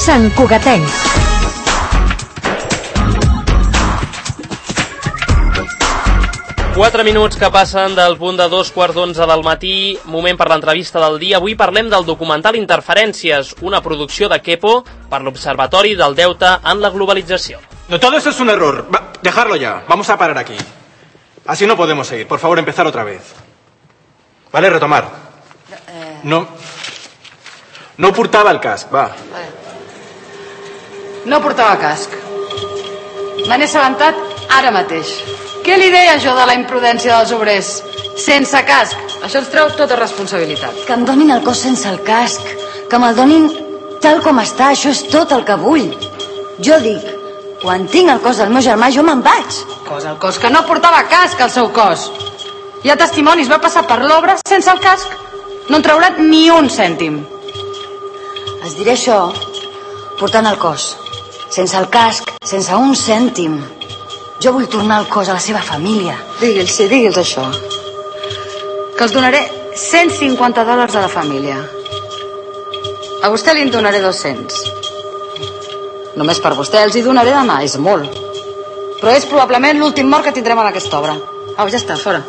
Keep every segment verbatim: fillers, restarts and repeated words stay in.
Sant Cugatencs. Quatre minuts que passen del punt de dos quarts d'onze del matí, moment per l'entrevista del dia. Avui parlem del documental Interferències, una producció de Kepo per l'Observatori del Deute en la Globalització. No, todo eso es un error. Va, dejarlo ya. Vamos a parar aquí. Así no podemos seguir. Por favor, empezar otra vez. Vale, retomar. No... No portava el casc, va. No portava casc. Me n'he assabentat ara mateix. Què li deia jo de la imprudència dels obrers? Sense casc. Això ens treu tota responsabilitat. Que em donin el cos sense el casc. Que me'l donin tal com està. Això és tot el que vull. Jo dic, quan tinc el cos del meu germà, jo me'n vaig. Cos al cos, que no portava casc al seu cos. Hi ha testimonis, va passar per l'obra sense el casc. No en traurà ni un cèntim. Es diré això portant el cos. Sense el casc, sense un cèntim. Jo vull tornar el cos a la seva família. Digui'ls, sí, digui'ls això. Que els donaré cent cinquanta dòlars a la família. A vostè li en donaré dos-cents. Només per vostè els hi donaré demà, és molt. Però és probablement l'últim mort que tindrem en aquesta obra. Au, ja està, fora.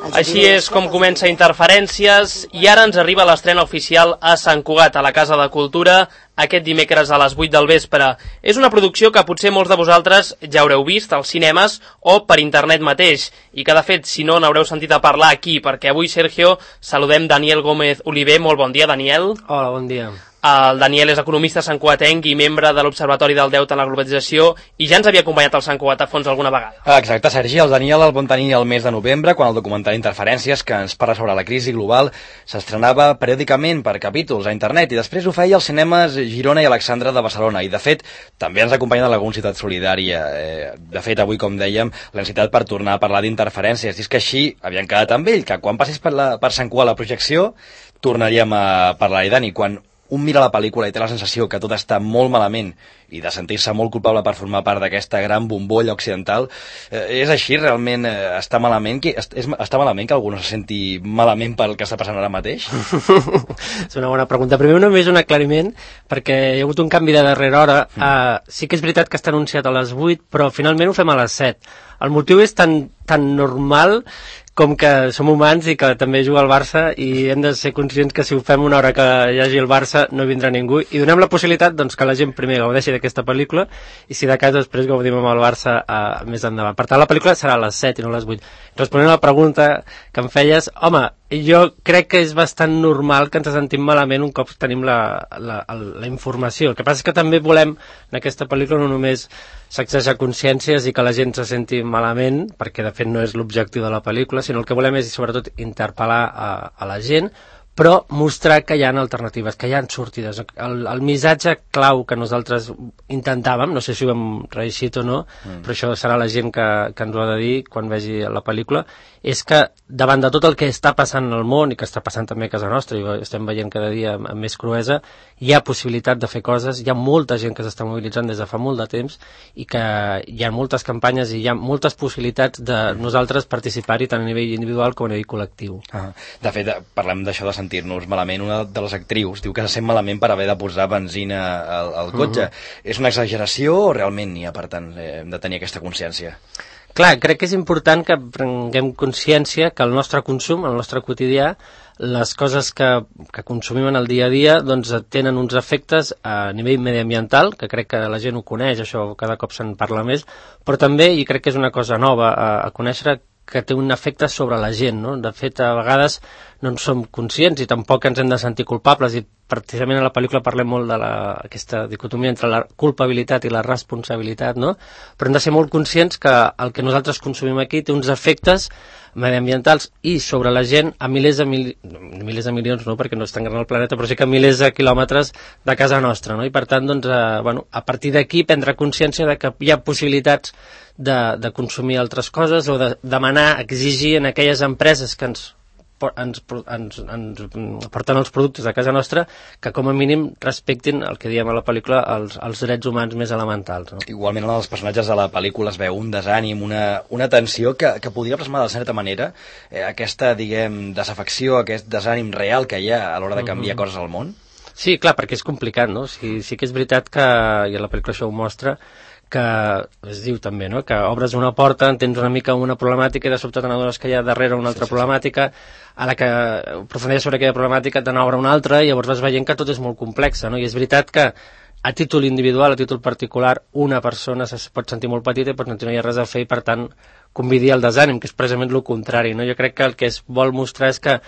Així és com comença Interferències i ara ens arriba l'estrena oficial a Sant Cugat, a la Casa de Cultura, aquest dimecres a les vuit del vespre. És una producció que potser molts de vosaltres ja haureu vist als cinemes o per internet mateix, i que de fet, si no, n'haureu sentit a parlar aquí, perquè avui, Sergio, saludem Daniel Gómez Oliver. Molt bon dia, Daniel. Hola, bon dia. El Daniel és economista santcugatenc i membre de l'Observatori del Deute en la Globalització i ja ens havia acompanyat al Sant Cugat a fons alguna vegada. Exacte, Sergi. El Daniel el vam tenir el mes de novembre, quan el documental Interferències, que ens parla sobre la crisi global, s'estrenava periòdicament per capítols a internet i després ho feia als cinemes Girona i Alexandra de Barcelona. I, de fet, també ens acompanya de la Ciutat Solidària. Eh, de fet, avui, com dèiem, la necessitat per tornar a parlar d'Interferències. I és que així havíem quedat amb ell, que quan passés per, la, per Sant Cugat la projecció, tornaríem a parlar-hi. Dani, quan un mira la pel·lícula i té la sensació que tot està molt malament i de sentir-se molt culpable per formar part d'aquesta gran bombolla occidental, eh, és així? Realment eh, està malament que, és, està malament que algú no se senti malament pel que està passant ara mateix? És una bona pregunta. Primer només un aclariment, perquè hi ha hagut un canvi de darrera hora. Mm. Uh, sí que és veritat que està anunciat a les vuit, però finalment ho fem a les set. El motiu és tan, tan normal com que som humans i que també juga el Barça i hem de ser conscients que si ho fem una hora que hi hagi el Barça no vindrà ningú i donem la possibilitat doncs, que la gent primer gaudeixi d'aquesta pel·lícula i si de cas després gaudim amb el Barça uh, més endavant. Per tant, la pel·lícula serà a les set i no a les vuit. Responent a la pregunta que em feies, home, jo crec que és bastant normal que ens sentim malament un cop tenim la, la, la informació. El que passa és que també volem en aquesta pel·lícula no només sacsejar consciències i que la gent se senti malament, perquè de fet no és l'objectiu de la pel·lícula, sinó el que volem és sobretot interpel·lar a, a la gent, però mostrar que hi ha alternatives, que hi ha sortides. El, el missatge clau que nosaltres intentàvem, no sé si ho hem reeixit o no, mm. però això serà la gent que, que ens ho ha de dir quan vegi la pel·lícula, és que davant de tot el que està passant al món i que està passant també a casa nostra i estem veient cada dia amb, amb més cruesa, hi ha possibilitat de fer coses, hi ha molta gent que s'està mobilitzant des de fa molt de temps i que hi ha moltes campanyes i hi ha moltes possibilitats de nosaltres participar-hi tant a nivell individual com a nivell col·lectiu. Ah, de fet, parlem d'això de sentir-nos malament. Una de les actrius diu que se sent malament per haver de posar benzina al, al cotxe. Uh-huh. És una exageració o realment n'hi ha, per tant, hem de tenir aquesta consciència? Clar, crec que és important que prenguem consciència que el nostre consum, el nostre quotidià, les coses que, que consumim en el dia a dia doncs, tenen uns efectes a nivell mediambiental, que crec que la gent ho coneix, això cada cop se'n parla més, però també, i crec que és una cosa nova a, a conèixer, que té un efecte sobre la gent, no? De fet, a vegades no en som conscients i tampoc ens hem de sentir culpables i precisament a la pel·lícula parlem molt de la, aquesta dicotomia entre la culpabilitat i la responsabilitat, no? Però hem de ser molt conscients que el que nosaltres consumim aquí té uns efectes mediambientals i sobre la gent a milers de, mil... milers de milions, no, perquè no és tan gran el planeta, però sí que milers de quilòmetres de casa nostra, no? I per tant, doncs, eh, bueno, a partir d'aquí prendre consciència de que hi ha possibilitats de, de consumir altres coses o de demanar, exigir en aquelles empreses que ens Ens, ens, ens porten els productes a casa nostra que com a mínim respectin el que diem a la pel·lícula els, els drets humans més elementals, no? Igualment en els personatges de la pel·lícula es veu un desànim, una, una tensió que, que podria plasmar de certa manera eh, aquesta, diguem, desafecció, aquest desànim real que hi ha a l'hora de canviar uh-huh. coses al món. Sí, clar, perquè és complicat, no? Sí, sí que és veritat que, i a la pel·lícula això ho mostra, que es diu també, no?, que obres una porta, entens una mica una problemàtica i de sobte te n'adones que hi ha darrere una altra sí, sí, problemàtica, a la que aprofundeix sobre aquella problemàtica te n'obre una altra i llavors vas veient que tot és molt complex, no? I és veritat que a títol individual, a títol particular, una persona es pot sentir molt petita i pot sentir no hi ha res a fer i per tant convidir el desànim, que és precisament el contrari, no? Jo crec que el que es vol mostrar és que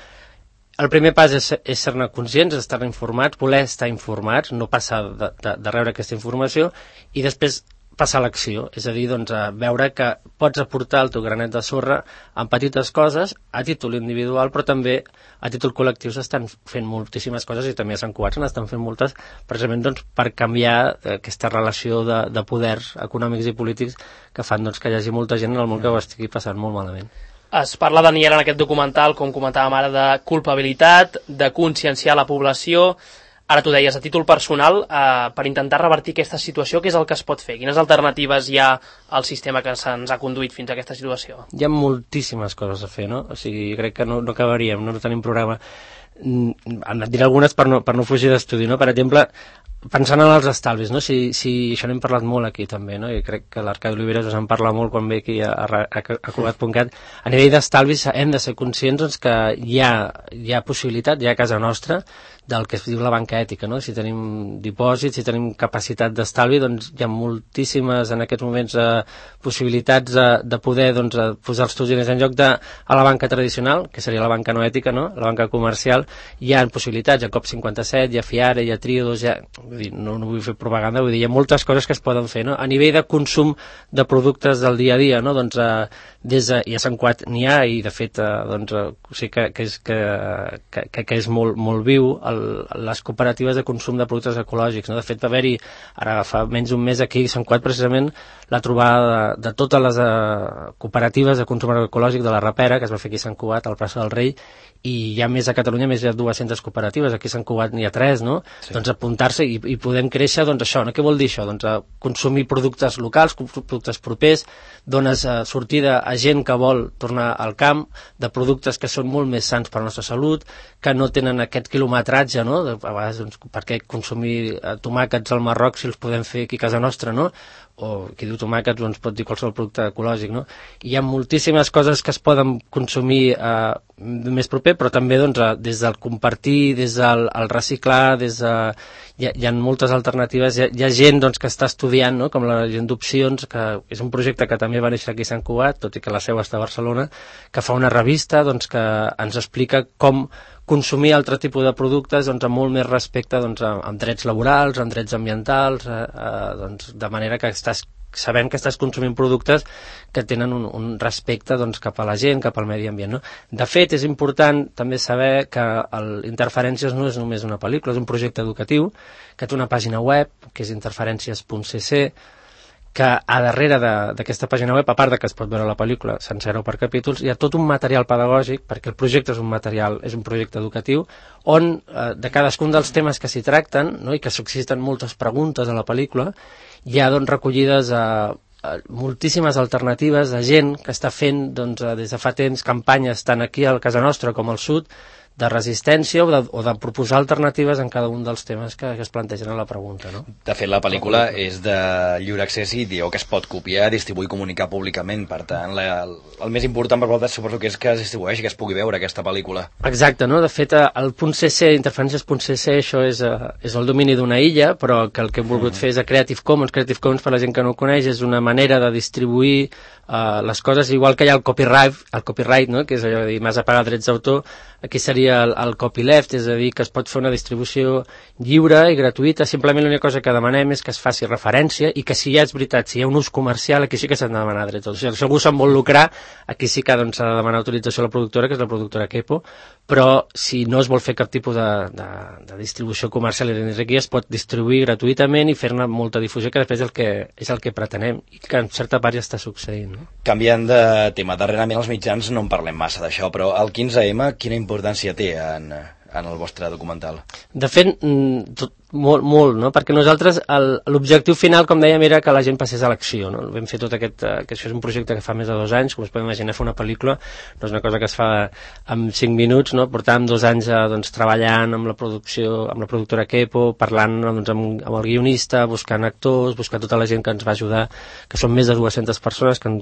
el primer pas és, és ser-ne conscients, estar informats, voler estar informats, no passar de, de, de rebre aquesta informació i després passar a l'acció, és a dir, doncs, a veure que pots aportar el teu granet de sorra en petites coses, a títol individual, però també a títol col·lectiu s'estan fent moltíssimes coses i també a Sant Cugat se n'estan fent moltes precisament doncs, per canviar aquesta relació de, de poders econòmics i polítics que fan doncs, que hi hagi molta gent en el món que ho estigui passant molt malament. Es parla, Daniel, en aquest documental, com comentàvem ara, de culpabilitat, de conscienciar la població. Ara tu deies, a títol personal, eh, per intentar revertir aquesta situació, què és el que es pot fer? Quines alternatives hi ha al sistema que se'ns ha conduït fins a aquesta situació? Hi ha moltíssimes coses a fer, no? O sigui, crec que no, no acabaríem, no, no tenim programa. En diré algunes per no, per no fugir d'estudi, no? Per exemple, pensant en els estalvis, no? Si, si això n'hem parlat molt aquí també, no? I crec que l'Arcadi Oliveres us en parla molt quan ve aquí a, a, a Cugat punt cat. A nivell d'estalvis hem de ser conscients doncs, que hi ha, hi ha possibilitat, hi ha a casa nostra, del que es diu la banca ètica, no? Si tenim dipòsits, si tenim capacitat d'estalvi, doncs hi ha moltíssimes en aquests moments eh, possibilitats de, de poder doncs, posar els teus diners en lloc de a la banca tradicional, que seria la banca no ètica, no? La banca comercial, hi ha possibilitats, hi ha COP cinquanta-set, hi ha FIARE, hi ha Triodos, hi ha... Vull dir, no, no vull fer propaganda, vull dir, hi ha moltes coses que es poden fer, no? A nivell de consum de productes del dia a dia, no? Doncs eh, des de, i a Sant Cugat n'hi ha, i de fet eh, doncs, eh, o sigui que, que, és, que, que, que és molt, molt viu el, les cooperatives de consum de productes ecològics, no? De fet va haver-hi ara fa menys d'un mes aquí a Sant Cugat precisament la trobada de, de totes les uh, cooperatives de consum ecològic de la Rapera, que es va fer aquí a Sant Cugat al Plaça del Rei, i hi ha més a Catalunya, més de dues-centes cooperatives, aquí a Sant Cugat n'hi ha tres, no? Sí. Doncs apuntar-se i, i podem créixer, doncs això, no? Què vol dir això? Doncs a consumir productes locals, productes propers, dones uh, sortida a gent que vol tornar al camp, de productes que són molt més sants per a la nostra salut, que no tenen aquest quilometratge, no? De, a vegades, doncs, per què consumir uh, tomàquets al Marroc si els podem fer aquí a casa nostra, no? O qui diu tomàquets doncs pot dir qualsevol producte ecològic, no? I hi ha moltíssimes coses que es poden consumir eh, més proper, però també doncs, des del compartir, des del el reciclar, des de... Hi ha, hi ha moltes alternatives, hi ha, hi ha gent doncs, que està estudiant, no? Com la gent d'Opcions, que és un projecte que també va néixer aquí a Sant Cugat, tot i que la seu està a Barcelona, que fa una revista doncs, que ens explica com consumir altre tipus de productes doncs, amb molt més respecte doncs, amb drets laborals, amb drets ambientals, eh, eh, doncs, de manera que estàs sabent que estàs consumint productes que tenen un, un respecte doncs, cap a la gent, cap al medi ambient, no? De fet, és important també saber que el Interferències no és només una pel·lícula, és un projecte educatiu que té una pàgina web, que és interferències punt c c, que a darrere d'aquesta pàgina web, a part de que es pot veure la pel·lícula sencera o per capítols, hi ha tot un material pedagògic, perquè el projecte és un material, és un projecte educatiu, on eh, de cadascun dels temes que s'hi tracten, no, i que s'existen moltes preguntes a la pel·lícula, hi ha doncs, recollides a eh, moltíssimes alternatives de gent que està fent doncs, des de fa temps campanyes tant aquí a casa nostra com al sud de resistència o de, o de proposar alternatives en cada un dels temes que, que es plantegen a la pregunta, no? De fet, la pel·lícula és de lliure accés i dieu que es pot copiar, distribuir i comunicar públicament. Per tant, la, el més important per vosaltres suposo que és que es distribueixi, que es pugui veure aquesta pel·lícula. Exacte, no? De fet, el .cc, interferències punt c c, això és, és el domini d'una illa, però que el que hem volgut mm. fer és a Creative Commons. Creative Commons, per la gent que no ho coneix, és una manera de distribuir uh, les coses, igual que hi ha el copyright, el copyright, no? Que és allò de dir, m'has de pagar drets d'autor, aquí seria el, el copyleft, és a dir, que es pot fer una distribució lliure i gratuïta. Simplement l'única cosa que demanem és que es faci referència i que si ja és veritat, si hi ha un ús comercial, aquí sí que s'han de demanar drets. O sigui, si algú se'n vol lucrar, aquí sí que doncs, s'ha de demanar autorització a la productora, que és la productora Kepo, però si no es vol fer cap tipus de, de, de distribució comercial i dins aquí es pot distribuir gratuïtament i fer-ne molta difusió, que després és el que, és el que pretenem i que en certa part ja està succeint. No? Canviant de tema, darrerament els mitjans no en parlem massa d'això, però el quinze ema quina importància té en, en el vostre documental? De fet, tot, molt, molt, no? Perquè nosaltres l'objectiu final, com dèiem, era que la gent passés a l'acció, no? Vam fer tot aquest, que això és un projecte que fa més de dos anys, com es pot imaginar, fer una pel·lícula no és una cosa que es fa en cinc minuts, no? Portàvem dos anys doncs, treballant amb la producció, amb la productora Kepo, parlant doncs, amb, amb el guionista, buscant actors, buscant tota la gent que ens va ajudar, que són més de dues-centes persones que han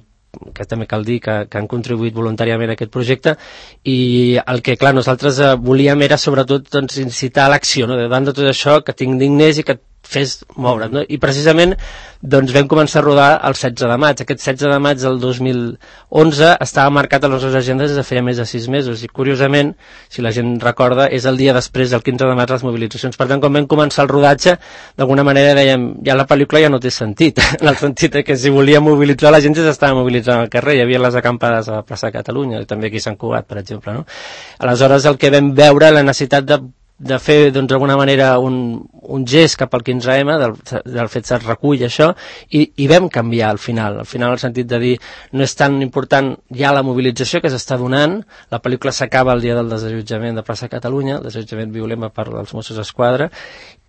que també cal dir que, que han contribuït voluntàriament a aquest projecte, i el que, clar, nosaltres eh, volíem era sobretot doncs, incitar a l'acció, no? Davant de tot això, que t'indignés i que et fes moure't, no? I precisament doncs, vam començar a rodar el setze de maig. Aquest setze de maig del dos mil onze estava marcat a les nostres agendes des de feia més de sis mesos, i curiosament, si la gent recorda, és el dia després del quinze de maig les mobilitzacions. Per tant, quan vam començar el rodatge, d'alguna manera dèiem, ja la pel·lícula ja no té sentit, en el sentit que si volia mobilitzar la gent ja s'estava mobilitzant al carrer, hi havia les acampades a la plaça de Catalunya, i també aquí a Sant Cugat, per exemple, no? Aleshores, el que vam veure, la necessitat de de fer doncs, d'alguna manera un, un gest cap al quinze eme, del, del fet es recull això, i, i vam canviar al final, al final el sentit de dir no és tan important ja la mobilització que s'està donant, la pel·lícula s'acaba el dia del desallotjament de plaça Catalunya, el desallotjament violent per part dels Mossos d'Esquadra,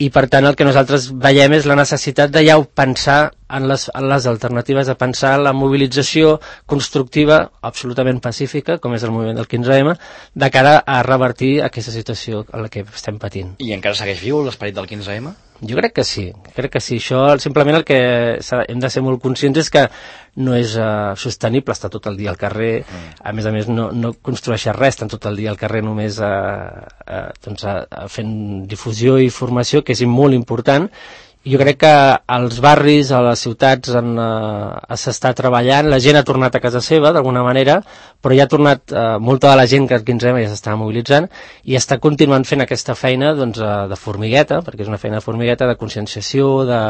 i per tant el que nosaltres veiem és la necessitat de ja pensar en les, en les alternatives, de pensar en la mobilització constructiva absolutament pacífica, com és el moviment del quinze eme, de cara a revertir aquesta situació en la que estem patint. I encara segueix viu l'esperit del quinze eme? Jo crec que sí, crec que sí. Això simplement el que hem de ser molt conscients és que no és uh, sostenible estar tot el dia al carrer, mm. a més a més no, no construeixes res, estan tot el dia al carrer només uh, uh, doncs, uh, fent difusió i formació, que és molt important. Jo crec que als barris, a les ciutats uh, s'està treballant, la gent ha tornat a casa seva d'alguna manera, però ja ha tornat uh, molta de la gent que el quinze eme ja s'estava mobilitzant i està continuant fent aquesta feina doncs, uh, de formigueta, perquè és una feina de formigueta, de conscienciació, de,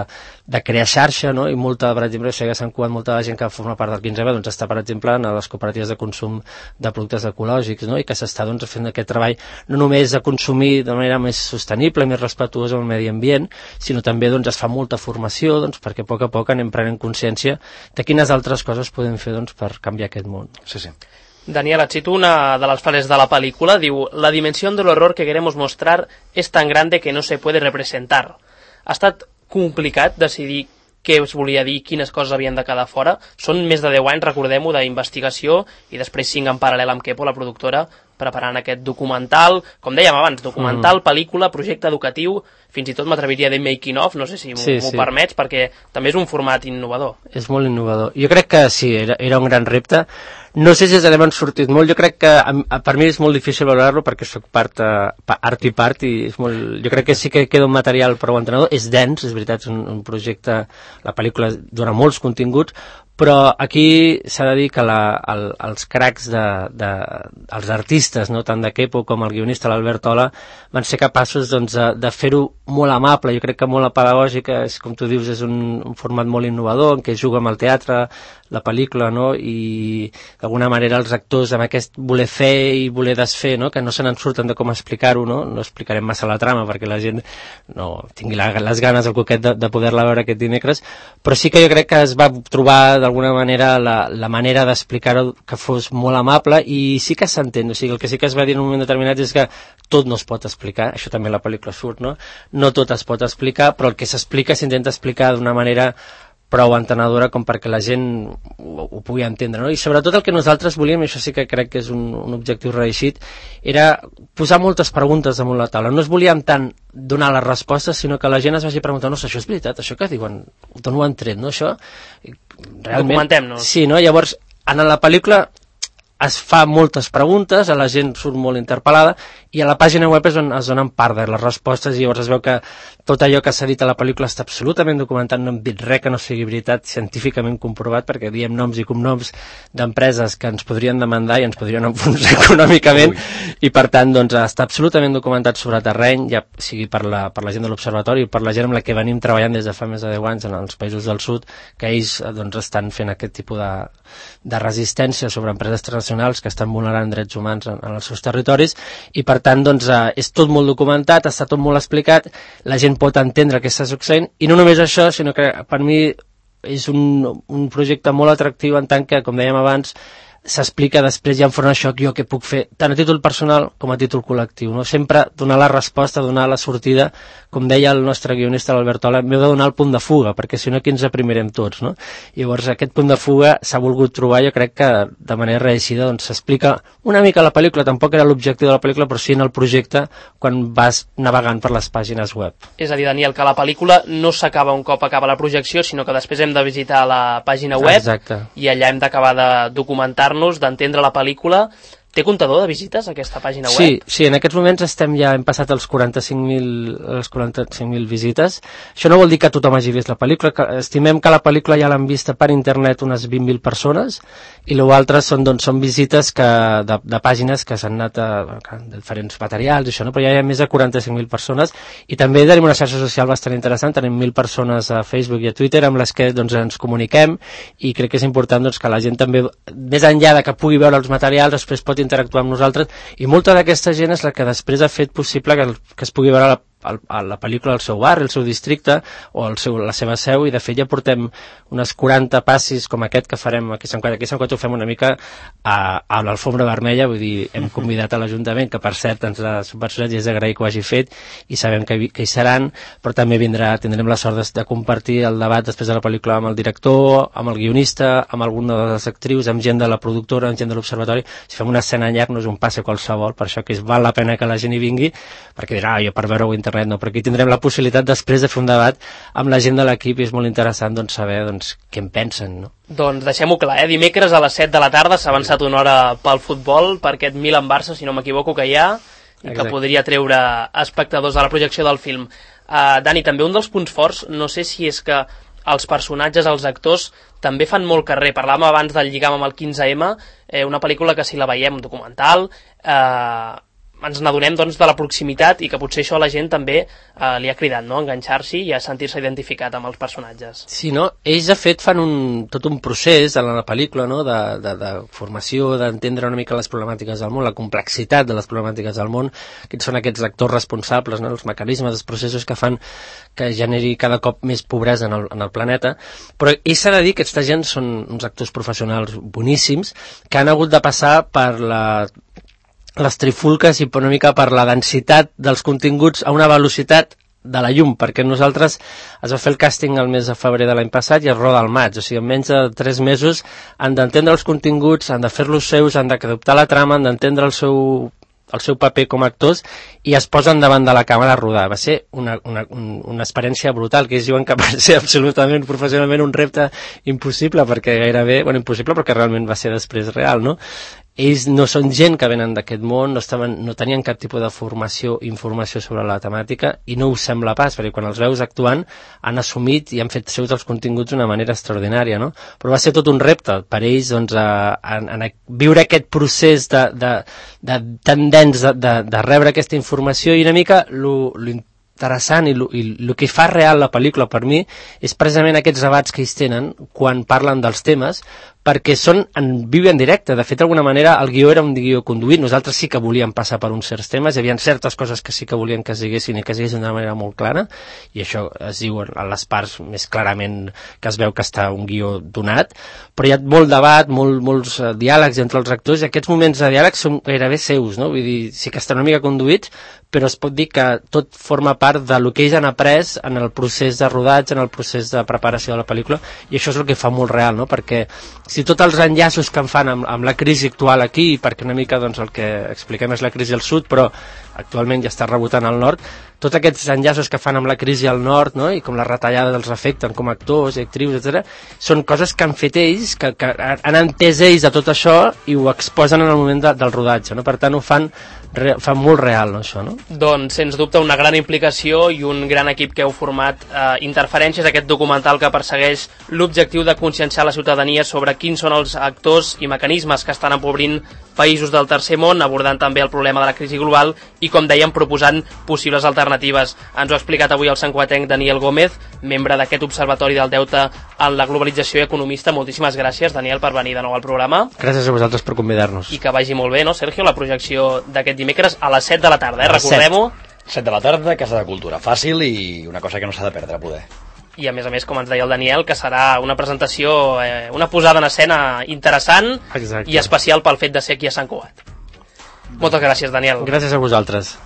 de crear xarxa, no? I molta, per exemple, això ja s'han cuat molta de gent que forma part del quinze eme doncs, està, per exemple, en les cooperatives de consum de productes ecològics, no? I que s'està doncs, fent aquest treball no només de consumir de manera més sostenible, més respectuosa amb el medi ambient, sinó també doncs, es fa molta formació doncs, perquè a poc a poc anem prenent consciència de quines altres coses podem fer doncs, per canviar aquest món. Sí, sí. Daniel, et cito una de las frases de la película, diu: la dimensión del horror que queremos mostrar es tan grande que no se puede representar. Ha estat complicat decidir què es volia dir, quines coses havien de quedar fora. Són més de deu anys, recordem-ho, d'investigació, i després cinc en paral·lel amb Kepo, la productora, preparant aquest documental, com dèiem abans, documental, mm. pel·lícula, projecte educatiu, fins i tot m'atreviria a dir making of, no sé si m'ho sí, sí. permets, perquè també és un format innovador. És molt innovador. Jo crec que sí, era, era un gran repte. No sé si ens n'hem sortit molt, jo crec que a, a, per mi és molt difícil valorar-lo perquè soc part, uh, art i part, i és molt, jo crec que sí que queda un material prou entenedor, és dens, és veritat, és un, un projecte, la pel·lícula dona molts continguts, però aquí s'ha de dir que la, el, els cracs de, de, els artistes, no, tant de Kepo com el guionista l'Albert Ola, van ser capaços doncs, de, de fer-ho molt amable. Jo crec que molt pedagògic, és, com tu dius, és un, un format molt innovador en què juga amb el teatre, la pel·lícula, no? I d'alguna manera els actors amb aquest voler fer i voler desfer, no? Que no se n'en surten de com explicar-ho, no? No explicarem massa la trama perquè la gent no tingui la, les ganes, el coquet de, de poder-la veure aquest dimecres, però sí que jo crec que es va trobar d'alguna manera la, la manera d'explicar-ho que fos molt amable, i sí que s'entén, o sigui, el que sí que es va dir en un moment determinat és que tot no es pot explicar, això també la pel·lícula surt, no? No tot es pot explicar, però el que s'explica s'intenta explicar d'una manera prou entenedora com perquè la gent ho, ho pugui entendre, no? I sobretot el que nosaltres volíem, i això sí que crec que és un, un objectiu reeixit, era posar moltes preguntes damunt la taula. No es volíem tant donar les respostes, sinó que la gent es vagi preguntant, no, això és veritat, això que diuen, d'on ho han tret, no, això? Realment, documentem-nos. Sí, no? Llavors, en la pel·lícula es fa moltes preguntes, a la gent surt molt interpel·lada, i a la pàgina web és on es donen part de les respostes, i llavors es veu que tot allò que s'ha dit a la pel·lícula està absolutament documentat, no hem dit res que no sigui veritat, científicament comprovat, perquè diem noms i cognoms d'empreses que ens podrien demandar i ens podrien enfonsar econòmicament. Ui. I per tant doncs, està absolutament documentat sobre terreny, ja sigui per la, per la gent de l'Observatori i per la gent amb la que venim treballant des de fa més de deu anys en els països del sud, que ells doncs, estan fent aquest tipus de, de resistència sobre empreses transnacionals que estan vulnerant drets humans en, en els seus territoris, i per tant doncs, eh, és tot molt documentat, està tot molt explicat, la gent pot entendre què està succeint, i no només això, sinó que per mi és un, un projecte molt atractiu en tant que, com dèiem abans, s'explica després ja enfront això jo què puc fer, tant a títol personal com a títol col·lectiu, no? Sempre donar la resposta, donar la sortida, com deia el nostre guionista l'Albert Ola, m'heu de donar el punt de fuga, perquè si no aquí ens aprimirem tots, no? I llavors aquest punt de fuga s'ha volgut trobar, jo crec que de manera reeixida doncs s'explica una mica la pel·lícula, tampoc era l'objectiu de la pel·lícula, però sí en el projecte quan vas navegant per les pàgines web. És a dir, Daniel, que la pel·lícula no s'acaba un cop acaba la projecció, sinó que després hem de visitar la pàgina web. Exacte. I allà hem d'acabar de documentar-nos, d'entendre la pel·lícula. Té comptador de visites, aquesta pàgina web? Sí, sí, en aquests moments estem ja, hem passat els quaranta-cinc mil les quaranta-cinc mil visites. Això no vol dir que tothom hagi vist la pel·lícula, que estimem que la pel·lícula ja l'han vista per internet unes vint mil persones, i l'altre són, doncs, són visites que, de, de pàgines que s'han anat a, a diferents materials, això, no? Però ja hi ha més de quaranta-cinc mil persones, i també tenim una xarxa social bastant interessant, tenim mil persones a Facebook i a Twitter amb les que doncs, ens comuniquem, i crec que és important doncs, que la gent també, més enllà de que pugui veure els materials, després pot interactuar amb nosaltres, i molta d'aquesta gent és la que després ha fet possible que, que es pugui veure la, a la pel·lícula al seu barri, al seu districte o al seu, la seva seu, i de fet ja portem unes quaranta passis com aquest que farem aquí a Sant Cugat. Aquí a Sant Cugat ho fem una mica a, a l'alfombra vermella, vull dir, hem convidat a l'Ajuntament, que per cert ens ha subvencionat i és d'agrair que ho hagi fet, i sabem que, que hi seran, però també vindrà, tindrem la sort de, de compartir el debat després de la pel·lícula amb el director, amb el guionista, amb alguna de les actrius, amb gent de la productora, amb gent de l'Observatori. Si fem una escena en llarg no és un passe qualsevol, per això que és, val la pena que la gent hi vingui, perquè dirà, ah, jo per veure-ho a internet no, però aquí tindrem la possibilitat després de fer un debat amb la gent de l'equip, i és molt interessant doncs, saber doncs, què en pensen, no? Doncs deixem-ho clar, eh? Dimecres a les set de la tarda s'ha avançat una hora pel futbol, per aquest Milan-Barça, si no m'equivoco, que hi ha, i que Exacte. Podria treure espectadors a la projecció del film. Uh, Dani, també un dels punts forts, no sé si és que els personatges, els actors, també fan molt carrer. Parlàvem abans del lligam amb el quinze eme, eh, una pel·lícula que si la veiem, un documental, eh, ens n'adonem doncs, de la proximitat, i que potser això a la gent també eh, li ha cridat, no? Enganxar-s'hi i a sentir-se identificat amb els personatges. Sí, no? Ells de fet fan un, tot un procés en la pel·lícula, no? de, de, de formació, d'entendre una mica les problemàtiques del món, la complexitat de les problemàtiques del món, que són aquests actors responsables, no? Els mecanismes, els processos que fan que generi cada cop més pobresa en el, en el planeta, però ells s'ha de dir que aquesta gent són uns actors professionals boníssims que han hagut de passar per la les trifulques i una mica per la densitat dels continguts a una velocitat de la llum, perquè nosaltres es va fer el càsting el mes de febrer de l'any passat i es roda al maig, o sigui, en menys de tres mesos han d'entendre els continguts, han de fer-los seus, han d'adoptar la trama, han d'entendre el seu el seu paper com a actors, i es posen davant de la càmera a rodar. Va ser una, una, una experiència brutal, que ells diuen que va ser absolutament, professionalment, un repte impossible, perquè gairebé, bueno, impossible perquè realment va ser després real, no? Ells no són gent que venen d'aquest món, no, estaven, no tenien cap tipus de formació, informació sobre la temàtica, i no us sembla pas, perquè quan els veus actuant han assumit i han fet seus els continguts d'una manera extraordinària, no? Però va ser tot un repte per ells, doncs, a, a, a viure aquest procés de, de, de tan dens de, de, de rebre aquesta informació, i una mica lo, lo interessant i el que fa real la pel·lícula per mi és precisament aquests debats que ells tenen quan parlen dels temes, perquè són en viu i en directe. De fet, d'alguna manera, el guió era un guió conduït. Nosaltres sí que volíem passar per uns certs temes, hi havia certes coses que sí que volíem que es diguessin i que es diguessin d'una manera molt clara, i això es diu a les parts més clarament que es veu que està un guió donat, però hi ha molt debat, molt, molts uh, diàlegs entre els actors, i aquests moments de diàleg són gairebé seus, no? Vull dir, sí que estan una mica conduïts, però es pot dir que tot forma part del que ells han après en el procés de rodatge, en el procés de preparació de la pel·lícula, i això és el que fa molt real, no? Perquè si tots els enllaços que en fan amb, amb la crisi actual aquí, perquè una mica doncs, el que expliquem és la crisi al sud, però actualment ja està rebotant al nord, tots aquests enllaços que fan amb la crisi al nord, no? I com la retallada dels afecten com a actors i actrius, etcètera, són coses que han fet ells, que, que han entès ells de tot això i ho exposen en el moment de, del rodatge, no? Per tant, ho fan, re, fan molt real, no, això, no? Doncs, sens dubte, una gran implicació i un gran equip que heu format. Eh, Interferències, aquest documental que persegueix l'objectiu de conscienciar la ciutadania sobre quins són els actors i mecanismes que estan empobrint països del tercer món, abordant també el problema de la crisi global i, com dèiem, proposant possibles alternatives. Ens ho ha explicat avui el santcugatenc Daniel Gómez, membre d'aquest Observatori del Deute en la Globalització i economista. Moltíssimes gràcies, Daniel, per venir de nou al programa. Gràcies a vosaltres per convidar-nos. I que vagi molt bé, no, Sergio, la projecció d'aquest dimecres a les set de la tarda, eh? Recordem-ho. set de la tarda, Casa de Cultura. Fàcil i una cosa que no s'ha de perdre, poder. i a més a més, com ens deia el Daniel, que serà una presentació, eh, una posada en escena interessant. Exacte. I especial pel fet de ser aquí a Sant Cugat. Moltes gràcies, Daniel. Gràcies a vosaltres.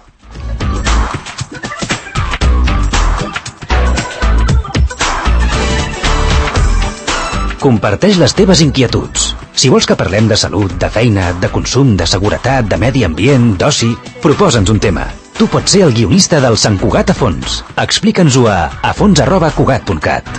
Comparteix les teves inquietuds. Si vols que parlem de salut, de feina, de consum, de seguretat, de medi ambient, d'oci, proposa'ns un tema. Tu pots ser el guionista del Sant Cugat a fons. Explica'ns-ho a afons arroba cugat punt cat.